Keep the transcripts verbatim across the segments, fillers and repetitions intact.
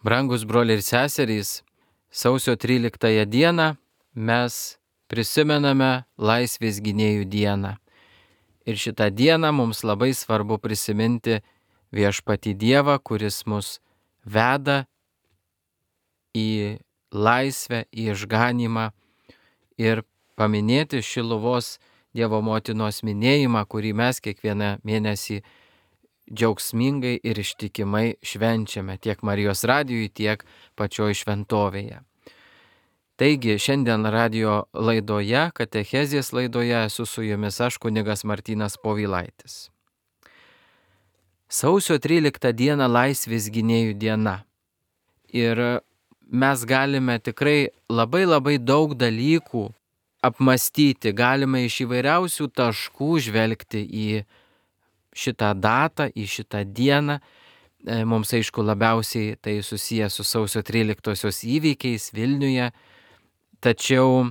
Brangus broliai ir seserys, sausio tryliktąją dieną mes prisimename Laisvės gynėjų dieną. Ir šitą dieną mums labai svarbu prisiminti viešpatį Dievą, kuris mus veda į laisvę, į išganymą ir paminėti Šiluvos Dievo motinos minėjimą, kurį mes kiekvieną mėnesį džiaugsmingai ir ištikimai švenčiame tiek Marijos radijui, tiek pačioj šventovėje. Taigi, šiandien radijo laidoje, katechezės laidoje esu su jumis aš, kunigas Martynas Povilaitis. Sausio tryliktą dieną Laisvės gynėjų diena. Ir mes galime tikrai labai labai daug dalykų apmastyti, galime iš įvairiausių taškų žvelgti į šitą datą, į šitą dieną. Mums aišku labiausiai tai susijęs su sausio tryliktosios įvykiais Vilniuje. Tačiau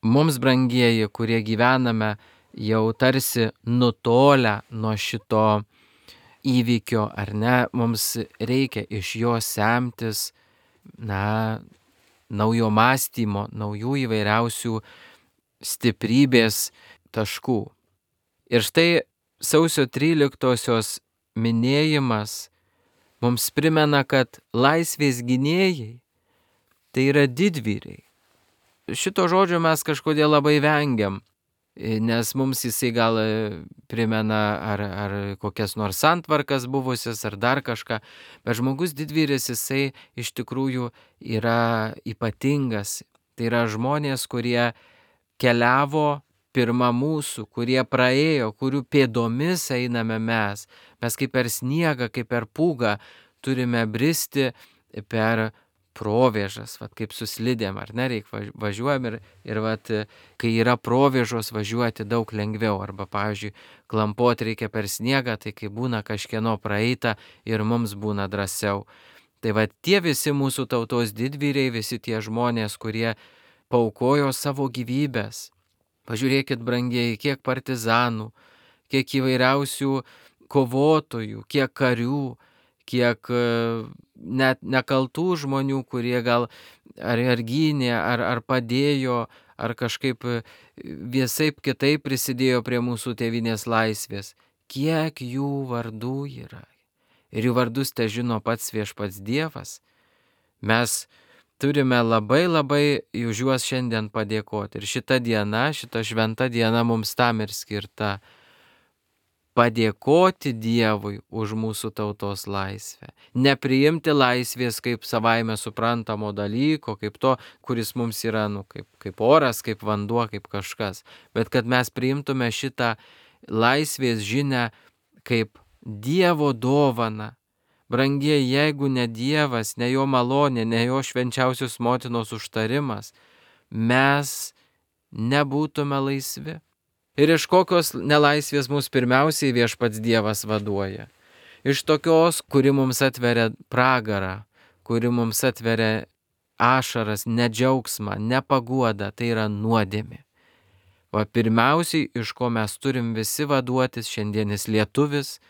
mums, brangieji, kurie gyvename jau tarsi nutolę nuo šito įvykio, ar ne, mums reikia iš jo semtis, na, naujo mąstymo, naujų įvairiausių stiprybės taškų. Ir štai sausio tryliktosios minėjimas mums primena, kad laisvės gynėjai tai yra didvyriai. Šito žodžio mes kažkodėl labai vengiam, nes mums jisai gal primena ar, ar kokias nors santvarkas buvusias, ar dar kažką, bet žmogus didvyris jisai iš tikrųjų yra ypatingas. Tai yra žmonės, kurie keliavo pirma mūsų, kurie praėjo, kurių pėdomis einame mes. Mes kaip per sniegą, kaip per pūgą turime bristi per provėžas, vat, kaip su slidėm, ar ne, reik važiuojam ir, ir vat, kai yra provėžos važiuoti daug lengviau, arba, pavyzdžiui, klampot reikia per sniegą, tai kai būna kažkieno praeita ir mums būna drąsiau. Tai vat, tie visi mūsų tautos didvyriai, visi tie žmonės, kurie paaukojo savo gyvybės. Pažiūrėkit, brangieji, kiek partizanų, kiek įvairiausių kovotojų, kiek karių, kiek net nekaltų žmonių, kurie gal ar, ar gynė, ar, ar padėjo, ar kažkaip visaip kitaip prisidėjo prie mūsų tėvynės laisvės. Kiek jų vardų yra. Ir jų vardus te žino pats viešpats Dievas. Mes turime labai labai už juos šiandien padėkoti. Ir šita diena, šita šventa diena mums tam ir skirta. Padėkoti Dievui už mūsų tautos laisvę. Nepriimti laisvės kaip savaime suprantamo dalyko, kaip to, kuris mums yra, nu, kaip, kaip oras, kaip vanduo, kaip kažkas. Bet kad mes priimtume šitą laisvės žinią kaip Dievo dovaną. Brangieji, jeigu ne Dievas, ne jo malonė, ne jo švenčiausios motinos užtarimas, mes nebūtume laisvi. Ir iš kokios nelaisvės mus pirmiausiai viešpats Dievas vaduoja? Iš tokios, kuri mums atveria pragarą, kuri mums atveria ašaras, nedžiaugsmą, nepaguodą, tai yra nuodėmė. O pirmiausiai, iš ko mes turim visi vaduotis, šiandienis lietuvis,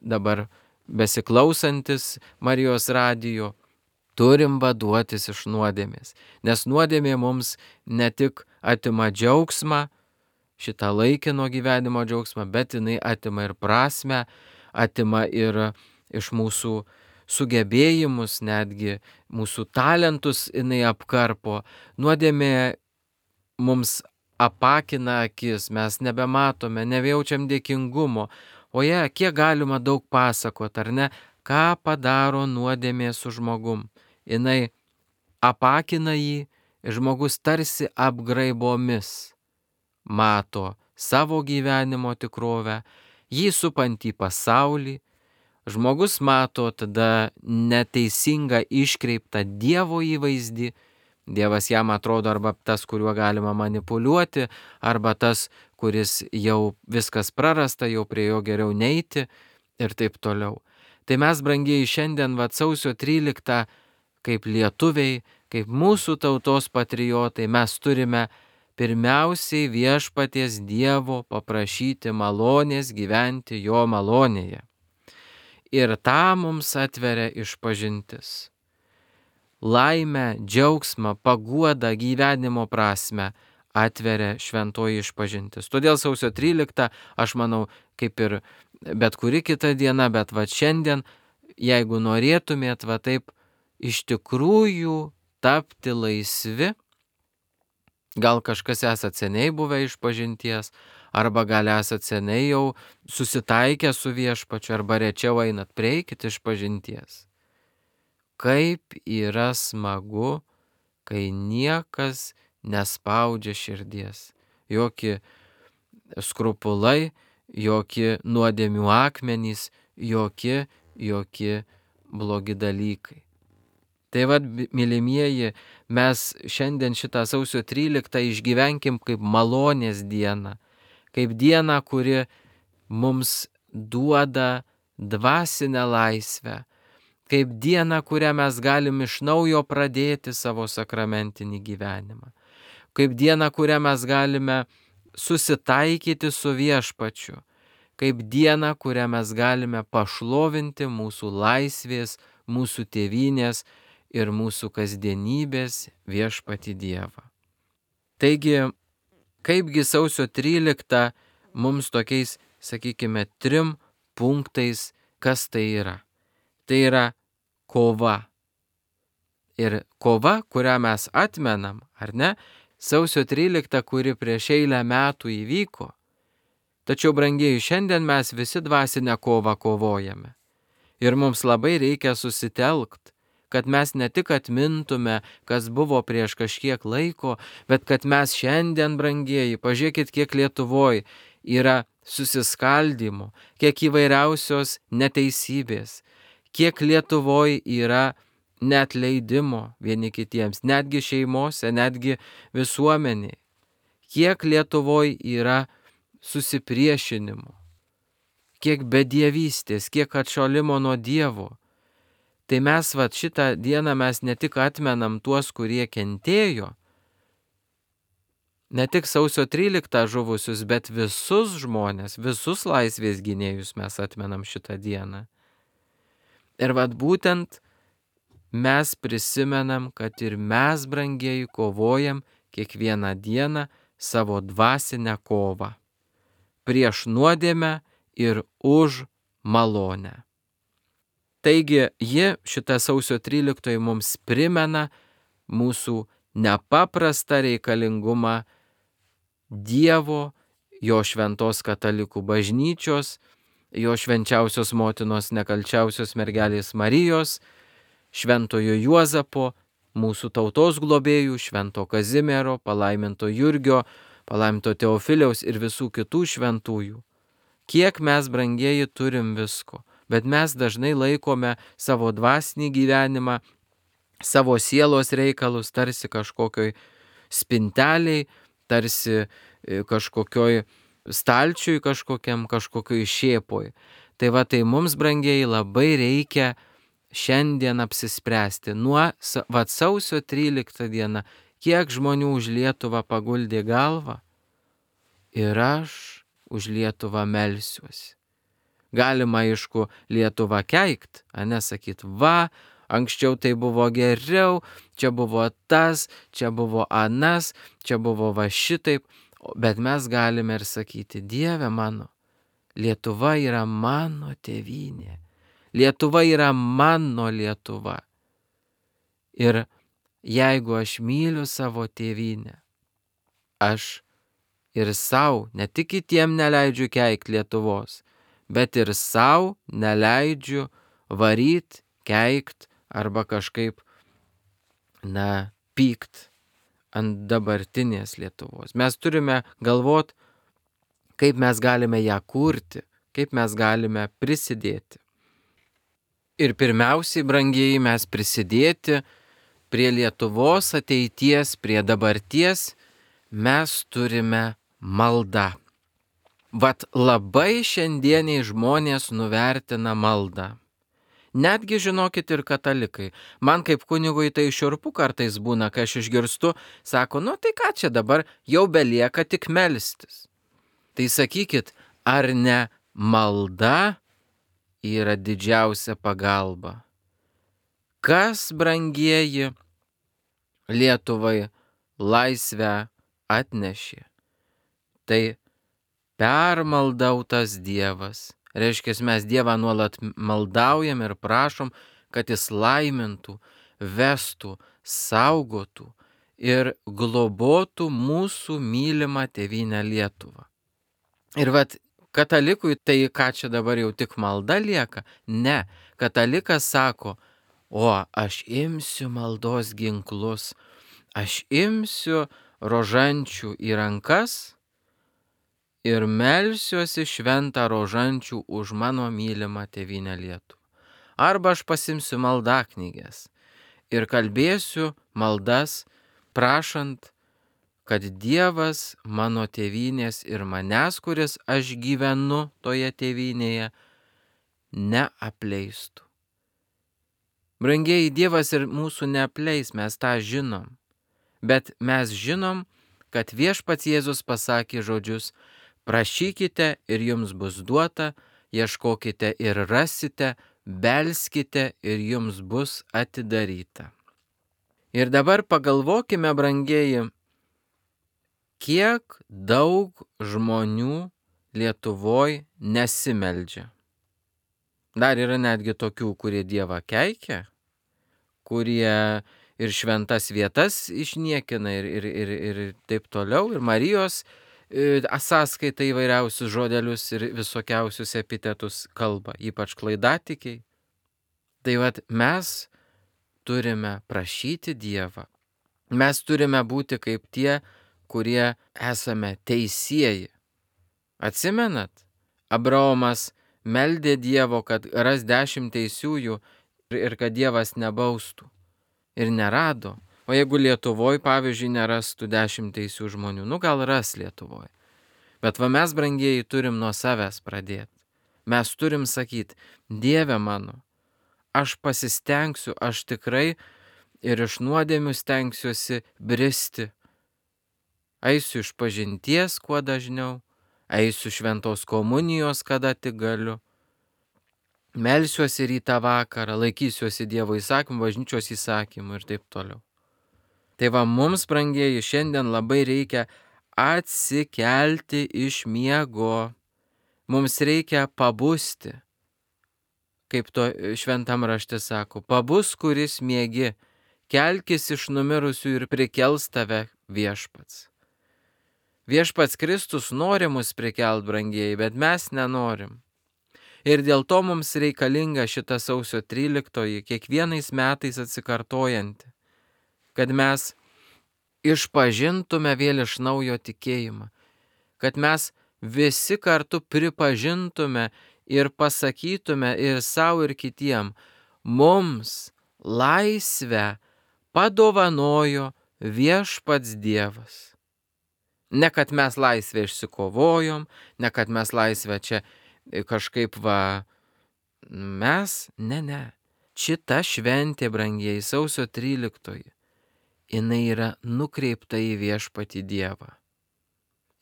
dabar besiklausantis Marijos radijo, turim vaduotis iš nuodėmės. Nes nuodėmė mums ne tik atima džiaugsmą, šitą laikino gyvenimo džiaugsmą, bet jinai atima ir prasmę, atima ir iš mūsų sugebėjimus, netgi mūsų talentus jinai apkarpo. Nuodėmė mums apakina akis, mes nebematome, nebejaučiam dėkingumo. O jie, kiek galima daug pasakot, ar ne, ką padaro nuodėmė su žmogum. Jinai apakina jį, žmogus tarsi apgraibomis mato savo gyvenimo tikrovę, jį supantį pasaulį. Žmogus mato tada neteisingą iškreiptą Dievo įvaizdį. Dievas jam atrodo arba tas, kuriuo galima manipuliuoti, arba tas, kuris jau viskas prarasta, jau prie jo geriau neiti ir taip toliau. Tai mes, brangieji, šiandien vat sausio tryliktą, kaip lietuviai, kaip mūsų tautos patriotai, mes turime pirmiausiai viešpaties Dievo paprašyti malonės gyventi jo malonėje. Ir tą mums atveria išpažintis. laimę, džiaugsmą, paguodą, gyvenimo prasme atveria šventoji išpažintis. Todėl sausio tryliktą, aš manau, kaip ir bet kuri kita diena, bet va šiandien, jeigu norėtumėt va taip iš tikrųjų tapti laisvi, gal kažkas esat seniai buvę išpažinties, arba gal esat seniai jau susitaikę su viešpačiu, arba rečiau einat, prieikit išpažinties. Kaip yra smagu, kai niekas nespaudžia širdies. Jokie skrupulai, jokie nuodėmių akmenys, jokie, jokie blogi dalykai. Tai vad, mylimieji, mes šiandien šitą sausio tryliktą išgyvenkim kaip malonės dieną, kaip dieną, kuri mums duoda dvasinę laisvę, kaip dieną, kurią mes galim iš naujo pradėti savo sakramentinį gyvenimą, kaip dieną, kurią mes galime susitaikyti su viešpačiu, kaip dieną, kurią mes galime pašlovinti mūsų laisvės, mūsų tėvynės ir mūsų kasdienybės viešpatį Dievą. Taigi, kaipgi sausio tryliktą mums tokiais, sakykime, trim punktais, kas tai yra? Tai yra kova. Ir kova, kurią mes atmenam, ar ne? Sausio tryliktą, kuri prieš eilę metų įvyko. Tačiau, brangieji, šiandien mes visi dvasinę kovą kovojame. Ir mums labai reikia susitelkt, kad mes ne tik atmintume, kas buvo prieš kažkiek laiko, bet kad mes šiandien, brangieji, pažiūrėkit, kiek Lietuvoj yra susiskaldymo, kiek įvairiausios neteisybės, kiek Lietuvoj yra neatleidimo vieni kitiems, netgi šeimose, netgi visuomeniai, kiek Lietuvoj yra susipriešinimo, kiek bedievystės, kiek atšalimo nuo Dievo. Tai mes vat šitą dieną mes ne tik atmenam tuos, kurie kentėjo, ne tik sausio tryliktą žuvusius, bet visus žmonės, visus laisvės gynėjus mes atmenam šitą dieną. Ir vat būtent mes prisimenam, kad ir mes, brangieji, kovojam kiekvieną dieną savo dvasinę kovą prieš nuodėmę ir už malonę. Taigi, ji, šita sausio tryliktoji, mums primena mūsų nepaprastą reikalingumą Dievo, jo šventos katalikų bažnyčios, jo švenčiausios motinos nekalčiausios mergelės Marijos, šventojo Juozapo, mūsų tautos globėjų, švento Kazimiero, palaiminto Jurgio, palaiminto Teofiliaus ir visų kitų šventųjų. Kiek mes, brangieji, turim visko. Bet mes dažnai laikome savo dvasinį gyvenimą, savo sielos reikalus tarsi kažkokioj spinteliai, tarsi kažkokioj stalčiui kažkokiam, kažkokioj šėpoj. Tai va, tai mums, brangieji, labai reikia šiandien apsispręsti. Nuo va, sausio tryliktą dieną, kiek žmonių už Lietuvą paguldė galvą ir aš už Lietuvą melsiuosi. Galima, aišku, Lietuvą keikt, a nesakyt, va, anksčiau tai buvo geriau, čia buvo tas, čia buvo anas, čia buvo va šitaip, bet mes galime ir sakyti, Dieve mano, Lietuva yra mano tėvynė, Lietuva yra mano Lietuva. Ir jeigu aš myliu savo tėvynę, aš ir savo, ne tik kitiem neleidžiu keikt Lietuvos, bet ir savo neleidžiu varyt, keikt arba kažkaip, na, pykt ant dabartinės Lietuvos. Mes turime galvot, kaip mes galime ją kurti, kaip mes galime prisidėti. Ir pirmiausiai, brangieji, mes prisidėti prie Lietuvos ateities, prie dabarties, mes turime maldą. Vat labai šiandieniai žmonės nuvertina maldą. Netgi, žinokit, ir katalikai. Man kaip kunigui tai šiurpu kartais būna, kai aš išgirstu, sako, nu tai ką čia dabar, jau belieka tik melstis. Tai sakykit, ar ne malda yra didžiausia pagalba? Kas, brangieji, Lietuvai laisvę atnešė? Tai permaldautas Dievas. Reiškia, mes Dievą nuolat maldaujam ir prašom, kad Jis laimintų, vestų, saugotų ir globotų mūsų mylimą tėvynę Lietuvą. Ir vat katalikui tai ką čia dabar jau tik malda lieka? Ne, katalikas sako, o aš imsiu maldos ginklus, aš imsiu rožančių į rankas ir melsiuosi šventą rožančių už mano mylimą tėvynę Lietuvą. Arba aš pasimsiu maldaknyges ir kalbėsiu maldas, prašant, kad Dievas mano tėvynės ir manęs, kuris aš gyvenu toje tėvynėje, neapleistų. Brangieji, Dievas ir mūsų neapleis, mes tą žinom. Bet mes žinom, kad viešpats Jėzus pasakė žodžius: prašykite ir jums bus duota, ieškokite ir rasite, belskite ir jums bus atidaryta. Ir dabar pagalvokime, brangieji, kiek daug žmonių Lietuvoj nesimeldžia. Dar yra netgi tokių, kurie Dievą keikia, kurie ir šventas vietas išniekina ir, ir, ir, ir taip toliau, ir Marijos sąskaita įvairiausius žodelius ir visokiausius epitetus kalba, ypač klaidatikiai. Tai vat mes turime prašyti Dievą. Mes turime būti kaip tie, kurie esame teisieji. Atsimenat? Abraomas meldė Dievo, kad ras dešimt teisiųjų ir kad Dievas nebaustų. Ir nerado. O jeigu Lietuvoj, pavyzdžiui, nerastų dešimt teisių žmonių, nu gal ras Lietuvoj. Bet va mes, brangieji, turim nuo savęs pradėti. Mes turim sakyti: Dieve mano, aš pasistengsiu, aš tikrai ir iš nuodėmių stengsiuosi bristi. Eisiu iš pažinties kuo dažniau, eisiu šventos komunijos, kada tik galiu. Melsiuosi rytą vakarą, laikysiuosi Dievo įsakymų, bažnyčios įsakymų ir taip toliau. Tai va mums, brangieji, šiandien labai reikia atsikelti iš miego. Mums reikia pabusti. Kaip to šventam rašte sako, pabus, kuris miegi, kelkis iš numirusių ir prikels tave viešpats. Viešpats Kristus nori mus prikelt, brangieji, bet mes nenorim. Ir dėl to mums reikalinga šita sausio tryliktoji, kiekvienais metais atsikartojanti, kad mes išpažintume vėl iš naujo tikėjimą, kad mes visi kartu pripažintume ir pasakytume ir savo ir kitiem: mums laisvę padovanojo viešpats Dievas. Ne kad mes laisvę išsikovojom, ne kad mes laisvę čia kažkaip va, mes, ne, ne. Šita šventė, brangieji, sausio tryliktoji, jinai yra nukreipta į viešpatį Dievą.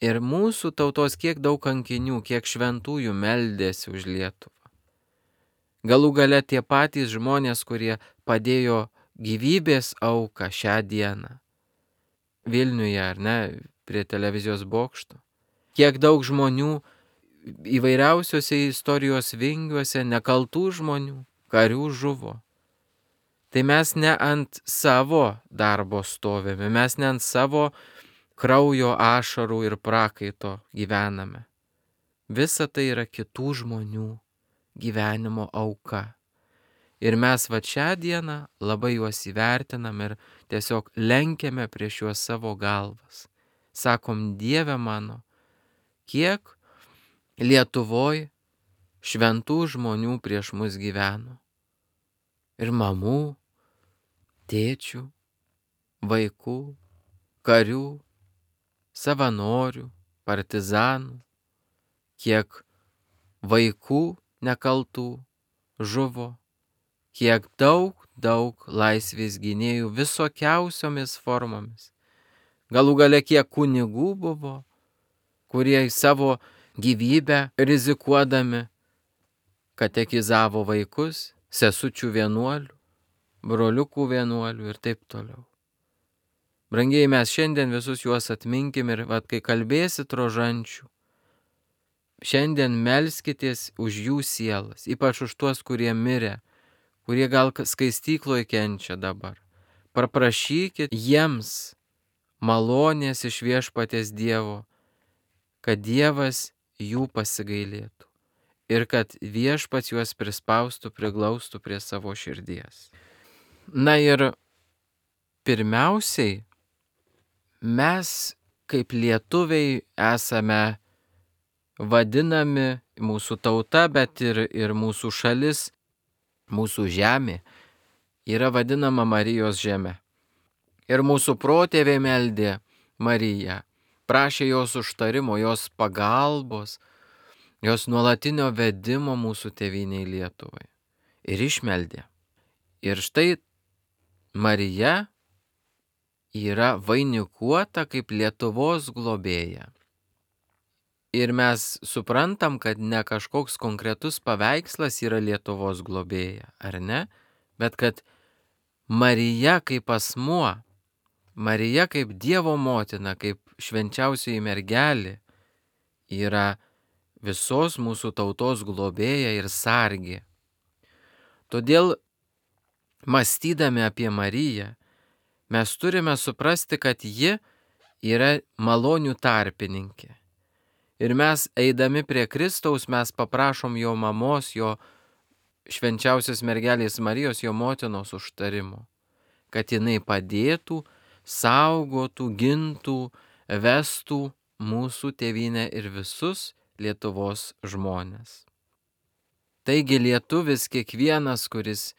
Ir mūsų tautos kiek daug kankinių, kiek šventųjų meldėsi už Lietuvą. Galų gale tie patys žmonės, kurie padėjo gyvybės auką šią dieną. Vilniuje, ar ne, prie televizijos bokšto. Kiek daug žmonių įvairiausiuose istorijos vingiuose, nekaltų žmonių, karių žuvo. Tai mes ne ant savo darbo stovėme, mes ne ant savo kraujo, ašarų ir prakaito gyvename. Visa tai yra kitų žmonių gyvenimo auka. Ir mes va šią dieną labai juos įvertinam ir tiesiog lenkiame prieš juos savo galvas. Sakom: Dieve mano, kiek Lietuvoj šventų žmonių prieš mus gyveno. Ir mamų, tėčių, vaikų, karių, savanorių, partizanų, kiek vaikų nekaltų žuvo, kiek daug, daug laisvės gynėjų visokiausiomis formomis. Galų gale kiek kunigų buvo, kurie savo gyvybę rizikuodami katekizavo vaikus, sesučių vienuolių, broliukų vienuolių ir taip toliau. Brangiai, mes šiandien visus juos atminkim ir vat, kai kalbėsit rožančių, šiandien melskitės už jų sielas, ypač už tuos, kurie mirė, kurie gal skaistykloje kenčia dabar. Paprašykit jiems malonės iš Viešpaties Dievo, kad Dievas jų pasigailėtų ir kad Viešpats juos prispaustų, priglaustų prie savo širdies. Na ir pirmiausiai, mes kaip lietuviai esame vadinami, mūsų tauta, bet ir, ir mūsų šalis, mūsų žemė yra vadinama Marijos žeme. Ir mūsų protėviai meldė Mariją, prašė jos užtarimo, jos pagalbos, jos nuolatinio vedimo mūsų tėvynei Lietuvai. Ir išmeldė. Ir štai Marija yra vainikuota kaip Lietuvos globėja. Ir mes suprantam, kad ne kažkoks konkretus paveikslas yra Lietuvos globėja, ar ne? Bet kad Marija kaip asmuo, Marija kaip Dievo motina, kaip švenčiausioji mergelė yra visos mūsų tautos globėja ir sargė. Todėl, mąstydami apie Mariją, mes turime suprasti, kad ji yra malonių tarpininkė. Ir mes, eidami prie Kristaus, mes paprašom jo mamos, jo švenčiausios mergelės Marijos, jo motinos užtarimo, kad jinai padėtų, saugotų, gintų, vestų mūsų tėvynę ir visus Lietuvos žmonės. Taigi lietuvis kiekvienas, kuris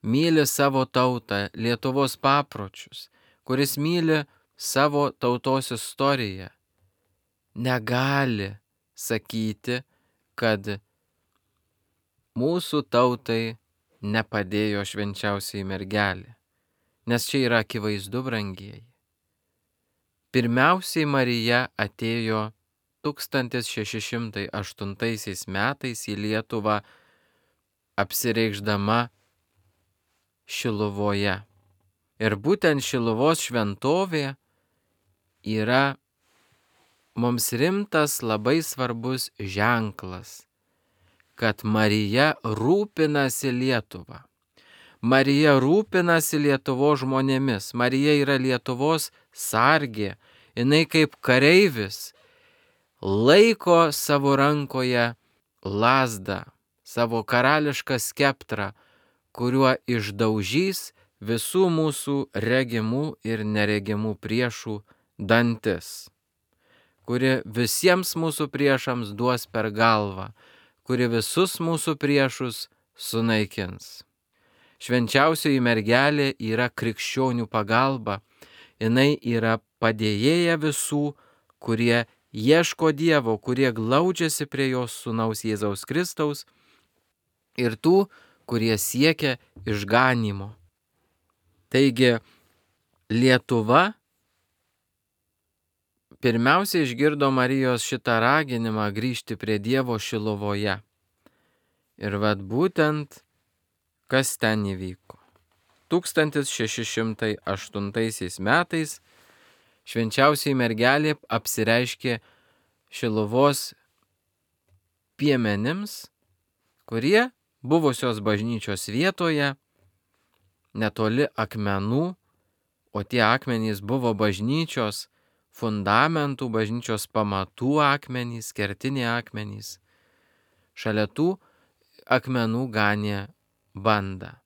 myli savo tautą, Lietuvos papročius, kuris myli savo tautos istoriją, negali sakyti, kad mūsų tautai nepadėjo švenčiausiai mergelė, nes čia yra akivaizdu, brangieji. Pirmiausiai Marija atėjo tūkstantis šeši šimtai aštuntaisiais metais į Lietuvą apsireikšdama Šiluvoje. Ir būtent Šiluvos šventovė yra mums rimtas, labai svarbus ženklas, kad Marija rūpinasi Lietuva. Marija rūpinasi Lietuvos žmonėmis. Marija yra Lietuvos sargė. Jinai kaip kareivis laiko savo rankoje lazdą, savo karališką skeptrą, kuriuo išdaužys visų mūsų regimų ir neregimų priešų dantis, kuri visiems mūsų priešams duos per galvą, kuri visus mūsų priešus sunaikins. Švenčiausioji mergelė yra krikščionių pagalba, jinai yra padėjėja visų, kurie ieško Dievo, kurie glaudžiasi prie jos sūnaus Jėzaus Kristaus ir tų, kurie siekia išganymo. Taigi Lietuva pirmiausia išgirdo Marijos šitą raginimą grįžti prie Dievo Šiluvoje. Ir vad būtent, kas ten įvyko. tūkstantis šeši šimtai aštuntaisiais metais švenčiausiai mergelė apsireiškė Šiluvos piemenims, kurie buvusios bažnyčios vietoje, netoli akmenų, o tie akmenys buvo bažnyčios fundamentų, bažnyčios pamatų akmenys, kertiniai akmenys. Šalia tų akmenų ganė bandą.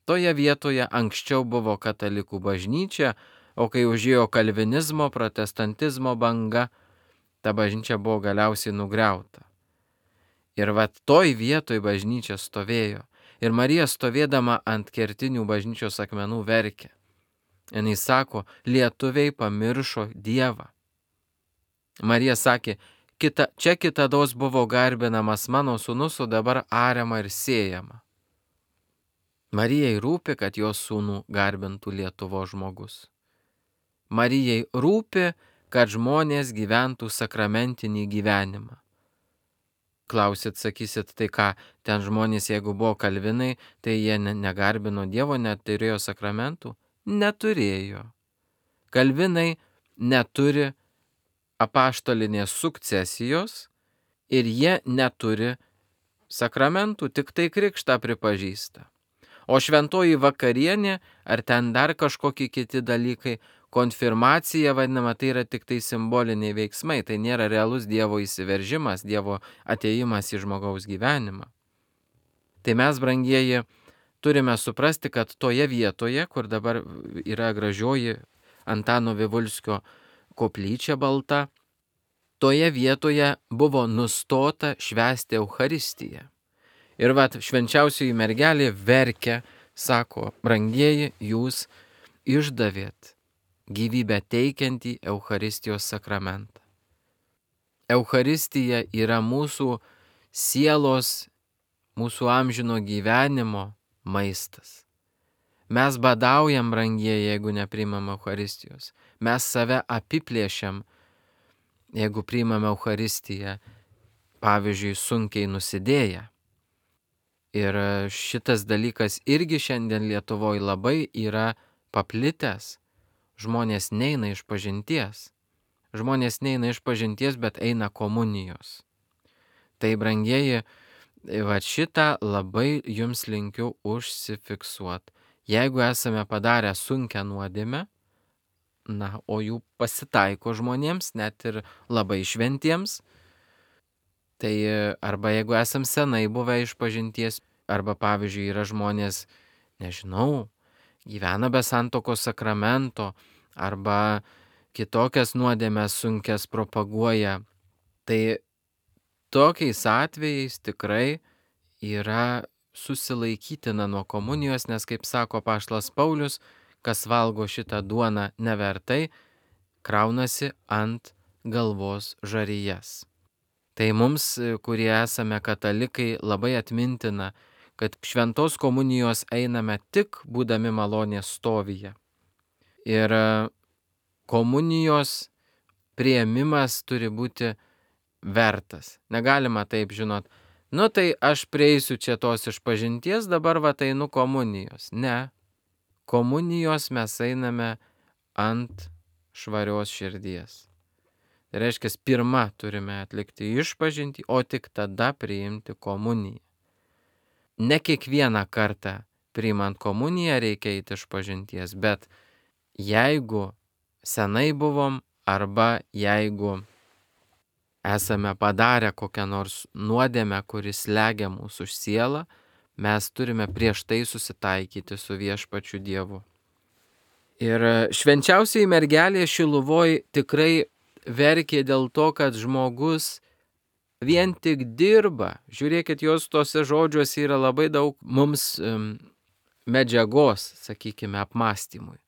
Toje vietoje anksčiau buvo katalikų bažnyčia, o kai užėjo kalvinizmo, protestantizmo banga, ta bažnyčia buvo galiausiai nugriauta. Ir vat toj vietoj bažnyčia stovėjo. Ir Marija stovėdama ant kertinių bažnyčios akmenų verkė. Jis sako, lietuviai pamiršo Dievą. Marija sakė, kita, čia kitados buvo garbinamas mano sūnus, o dabar ariama ir sėjama. Marijai rūpi, kad jos sūnų garbintų Lietuvos žmogus. Marijai rūpi, kad žmonės gyventų sakramentinį gyvenimą. Klausit, sakysit, tai ką, ten žmonės, jeigu buvo kalvinai, tai jie negarbino Dievo, neturėjo sakramentų? Neturėjo. Kalvinai neturi apaštalinės sukcesijos ir jie neturi sakramentų, tik tai krikštą pripažįsta. O šventoji vakarienė, ar ten dar kažkokie kiti dalykai, konfirmacija vadinama, tai yra tik tai simboliniai veiksmai, tai nėra realus Dievo įsiveržimas, Dievo atėjimas į žmogaus gyvenimą. Tai mes, brangieji, turime suprasti, kad toje vietoje, kur dabar yra gražioji Antano Vivulskio koplyčia balta, toje vietoje buvo nustota švęsti Eucharistiją. Ir vat švenčiausioji mergelė verkia, sako, brangieji, jūs išdavėt gyvybę teikiantį Eucharistijos sakramentą. Eucharistija yra mūsų sielos, mūsų amžino gyvenimo maistas. Mes badaujam, brangieji, jeigu nepriimam Eucharistijos. Mes save apiplėšiam, jeigu priimam Eucharistiją, pavyzdžiui, sunkiai nusidėję. Ir šitas dalykas irgi šiandien Lietuvoje labai yra paplitęs. Žmonės neina iš pažinties. Žmonės neina iš pažinties, bet eina komunijos. Tai, brangieji, va šitą labai jums linkiu užsifiksuoti. Jeigu esame padarę sunkią nuodėmę, na, o jų pasitaiko žmonėms, net ir labai šventiems, tai arba jeigu esam senai buvę iš pažinties, arba pavyzdžiui yra žmonės, nežinau, gyvena be santuokos sakramento, arba kitokias nuodėmes sunkias propaguoja, tai tokiais atvejais tikrai yra susilaikytina nuo komunijos, nes, kaip sako apaštalas Paulius, kas valgo šitą duoną nevertai, kraunasi ant galvos žarijas. Tai mums, kurie esame katalikai, labai atmintina, kad šventos komunijos einame tik būdami malonės stovyje. Ir komunijos priėmimas turi būti vertas. Negalima taip, žinot, nu tai aš prieisiu čia tos išpažinties, dabar va einu komunijos. Ne. Komunijos mes einame ant švarios širdies. Tai reiškia, pirmą turime atlikti išpažintį, o tik tada priimti komuniją. Ne kiekvieną kartą priimant komuniją reikia eiti išpažinties, bet jeigu senai buvom arba jeigu esame padarę kokią nors nuodėmę, kuris slegia mūsų sielą, mes turime prieš tai susitaikyti su viešpačiu Dievu. Ir švenčiausioji mergelė Šiluvoj tikrai verkė dėl to, kad žmogus vien tik dirba. Žiūrėkit, jos tose žodžiuose yra labai daug mums um, medžiagos, sakykime, apmąstymui.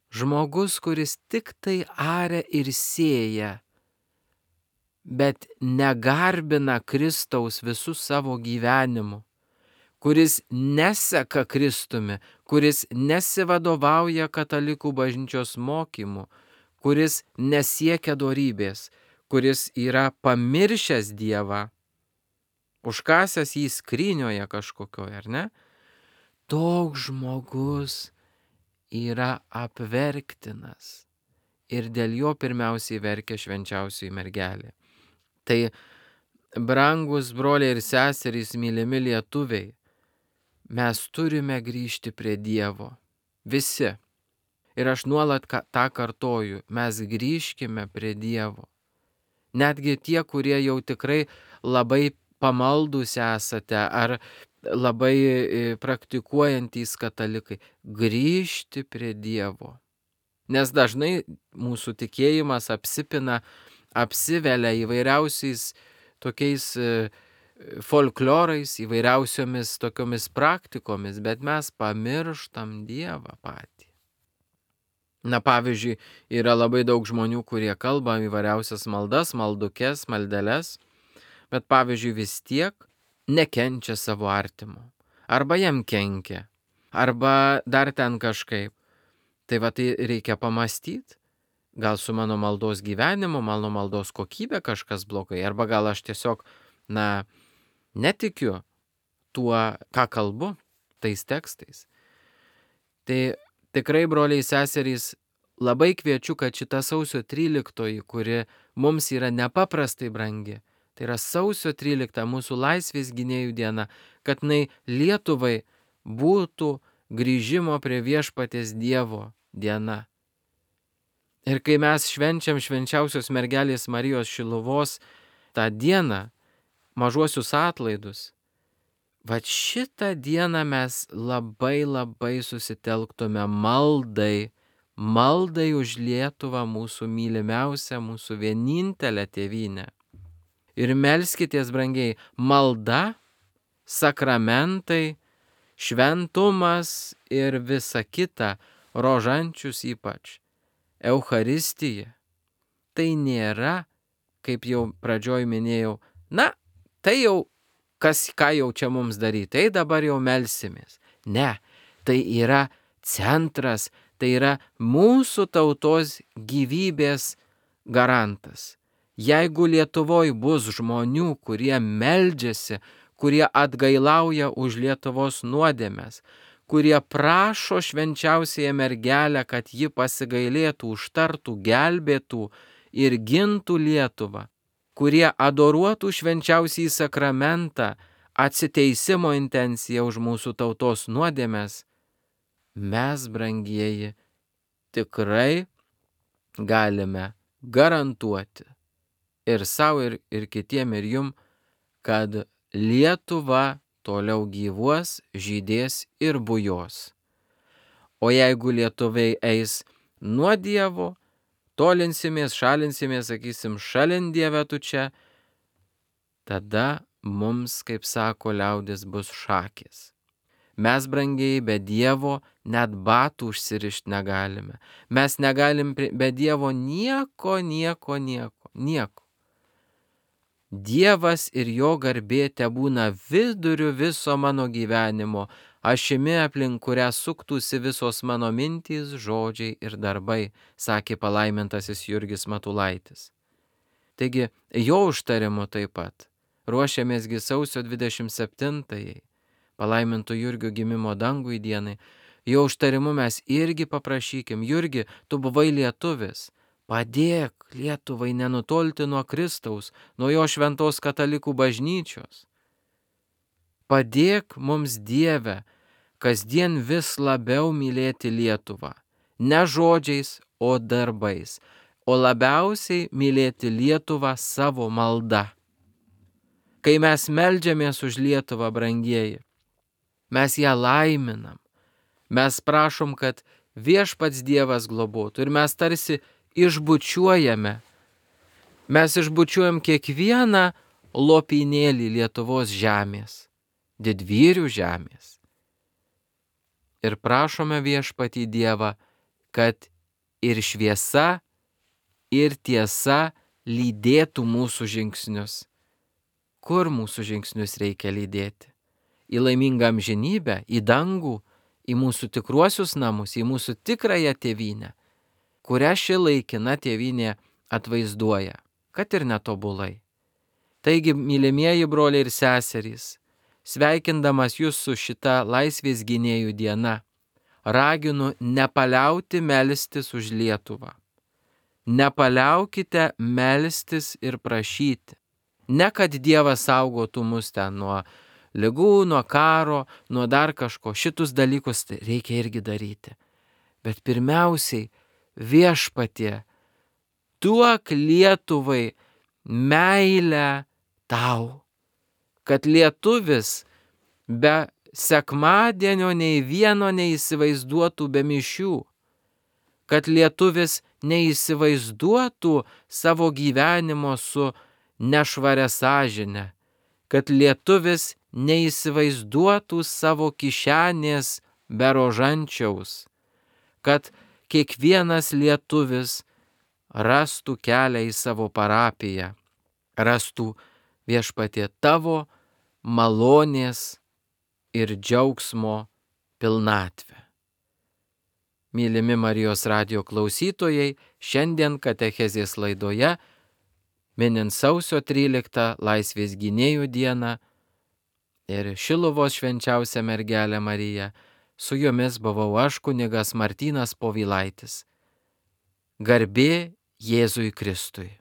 Žmogus, kuris tik tai aria ir sėja, bet negarbina Kristaus visų savo gyvenimu, kuris neseka Kristumi, kuris nesivadovauja katalikų bažnyčios mokymu, kuris nesiekia dorybės, kuris yra pamiršęs Dievą, užkasęs jį skrynioje kažkokioje, ar ne? Toks žmogus yra apverktinas ir dėl jo pirmiausiai verkia švenčiausioji mergelė. Tai, brangus broliai ir seserys, mylimi lietuviai, mes turime grįžti prie Dievo. Visi. Ir aš nuolat tą kartoju, mes grįžkime prie Dievo. Netgi tie, kurie jau tikrai labai pamaldus esate ar labai praktikuojantys katalikai, grįžti prie Dievo. Nes dažnai mūsų tikėjimas apsipina, apsivelia įvairiausiais tokiais folklorais, įvairiausiomis tokiomis praktikomis, bet mes pamirštam Dievą patį. Na, pavyzdžiui, yra labai daug žmonių, kurie kalba įvairiausias maldas, maldukes, maldeles, bet, pavyzdžiui, vis tiek nekenčia savo artimo. Arba jam kenkia, arba dar ten kažkaip. Tai va, tai reikia pamastyti. Gal su mano maldos gyvenimu, mano maldos kokybė kažkas blogai, arba gal aš tiesiog na, netikiu tuo, ką kalbu, tais tekstais. Tai tikrai, broliai seserys, labai kviečiu, kad šita sausio tryliktoji, kuri mums yra nepaprastai brangi, tai yra sausio trylikta, mūsų laisvės gynėjų diena, kad jinai Lietuvai būtų grįžimo prie viešpaties Dievo diena. Ir kai mes švenčiam švenčiausios mergelės Marijos Šiluvos tą dieną, mažuosius atlaidus, vat šitą dieną mes labai labai susitelktume maldai, maldai už Lietuvą, mūsų mylimiausią, mūsų vienintelę tėvynę. Ir melskitės, brangiai, malda, sakramentai, šventumas ir visa kita, rožančius ypač, Eucharistija. Tai nėra, kaip jau pradžioj minėjau, na, tai jau kas, ką jau čia mums daryti, tai dabar jau melsimės. Ne, tai yra centras, tai yra mūsų tautos gyvybės garantas. Jeigu Lietuvoje bus žmonių, kurie meldžiasi, kurie atgailauja už Lietuvos nuodėmes, kurie prašo švenčiausiąją mergelę, kad ji pasigailėtų, užtartų, gelbėtų ir gintų Lietuvą, kurie adoruotų švenčiausiąjį sakramentą, atsiteisimo intenciją už mūsų tautos nuodėmes, mes, brangieji, tikrai galime garantuoti ir savo, ir, ir kitiem, ir jum, kad Lietuva toliau gyvuos, žydės ir bujos. O jeigu lietuviai eis nuo Dievo, tolinsimės, šalinsimės, sakysim, šalin Dieve tu čia, tada mums, kaip sako liaudis, bus šakės. Mes, brangiai, be Dievo net batų užsirišti negalime. Mes negalim be Dievo nieko, nieko, nieko, nieko. Dievas ir jo garbė tebūna viduriu viso mano gyvenimo, ašimi aplink kurią suktųsi visos mano mintys, žodžiai ir darbai, sakė palaimintasis Jurgis Matulaitis. Taigi, jo užtarimu taip pat ruošiamėsgi sausio dvidešimt septintajai, palaiminto Jurgio gimimo dangui dienai. Jo užtarimu mes irgi paprašykim, Jurgi, tu buvai lietuvis, padėk Lietuvai nenutolti nuo Kristaus, nuo jo šventos katalikų bažnyčios. Padėk mums, Dieve, kasdien vis labiau mylėti Lietuvą, ne žodžiais, o darbais, o labiausiai mylėti Lietuvą savo malda. Kai mes meldžiamės už Lietuvą, brangieji, mes ją laiminam, mes prašom, kad viešpats Dievas globotų ir mes tarsi išbučiuojame, mes išbučiuojam kiekvieną lopinėlį Lietuvos žemės, didvyrių žemės. Ir prašome viešpatį Dievą, kad ir šviesa, ir tiesa lydėtų mūsų žingsnius. Kur mūsų žingsnius reikia lydėti? Į laimingą amžinybę, į dangų, į mūsų tikruosius namus, į mūsų tikrąją tėvynę, kurią ši laikina tėvynė atvaizduoja, kad ir netobulai. Taigi, mylimieji broliai ir seserys, sveikindamas jūs su šita laisvės gynėjų diena, raginu nepaliauti melstis už Lietuvą. Nepaliaukite melstis ir prašyti. Ne kad Dievas saugotų mus ten nuo ligų, nuo karo, nuo dar kažko. Šitus dalykus reikia irgi daryti. Bet pirmiausiai, viešpatie, duok Lietuvai meilę tau, kad lietuvis be sekmadienio nei vieno neįsivaizduotų be mišių, kad lietuvis neįsivaizduotų savo gyvenimo su nešvaria sąžine, kad lietuvis neįsivaizduotų savo kišenės be rožančiaus, kad kiekvienas lietuvis rastų kelią į savo parapiją, rastų viešpatie tavo malonės ir džiaugsmo pilnatvę. Mylimi Marijos radijo klausytojai, šiandien katechezės laidoje minint sausio tryliktą Laisvės gynėjų dieną ir Šiluvos švenčiausią mergelę Mariją. Su jumis buvau aš, kunigas Martynas Povilaitis. Garbė Jėzui Kristui.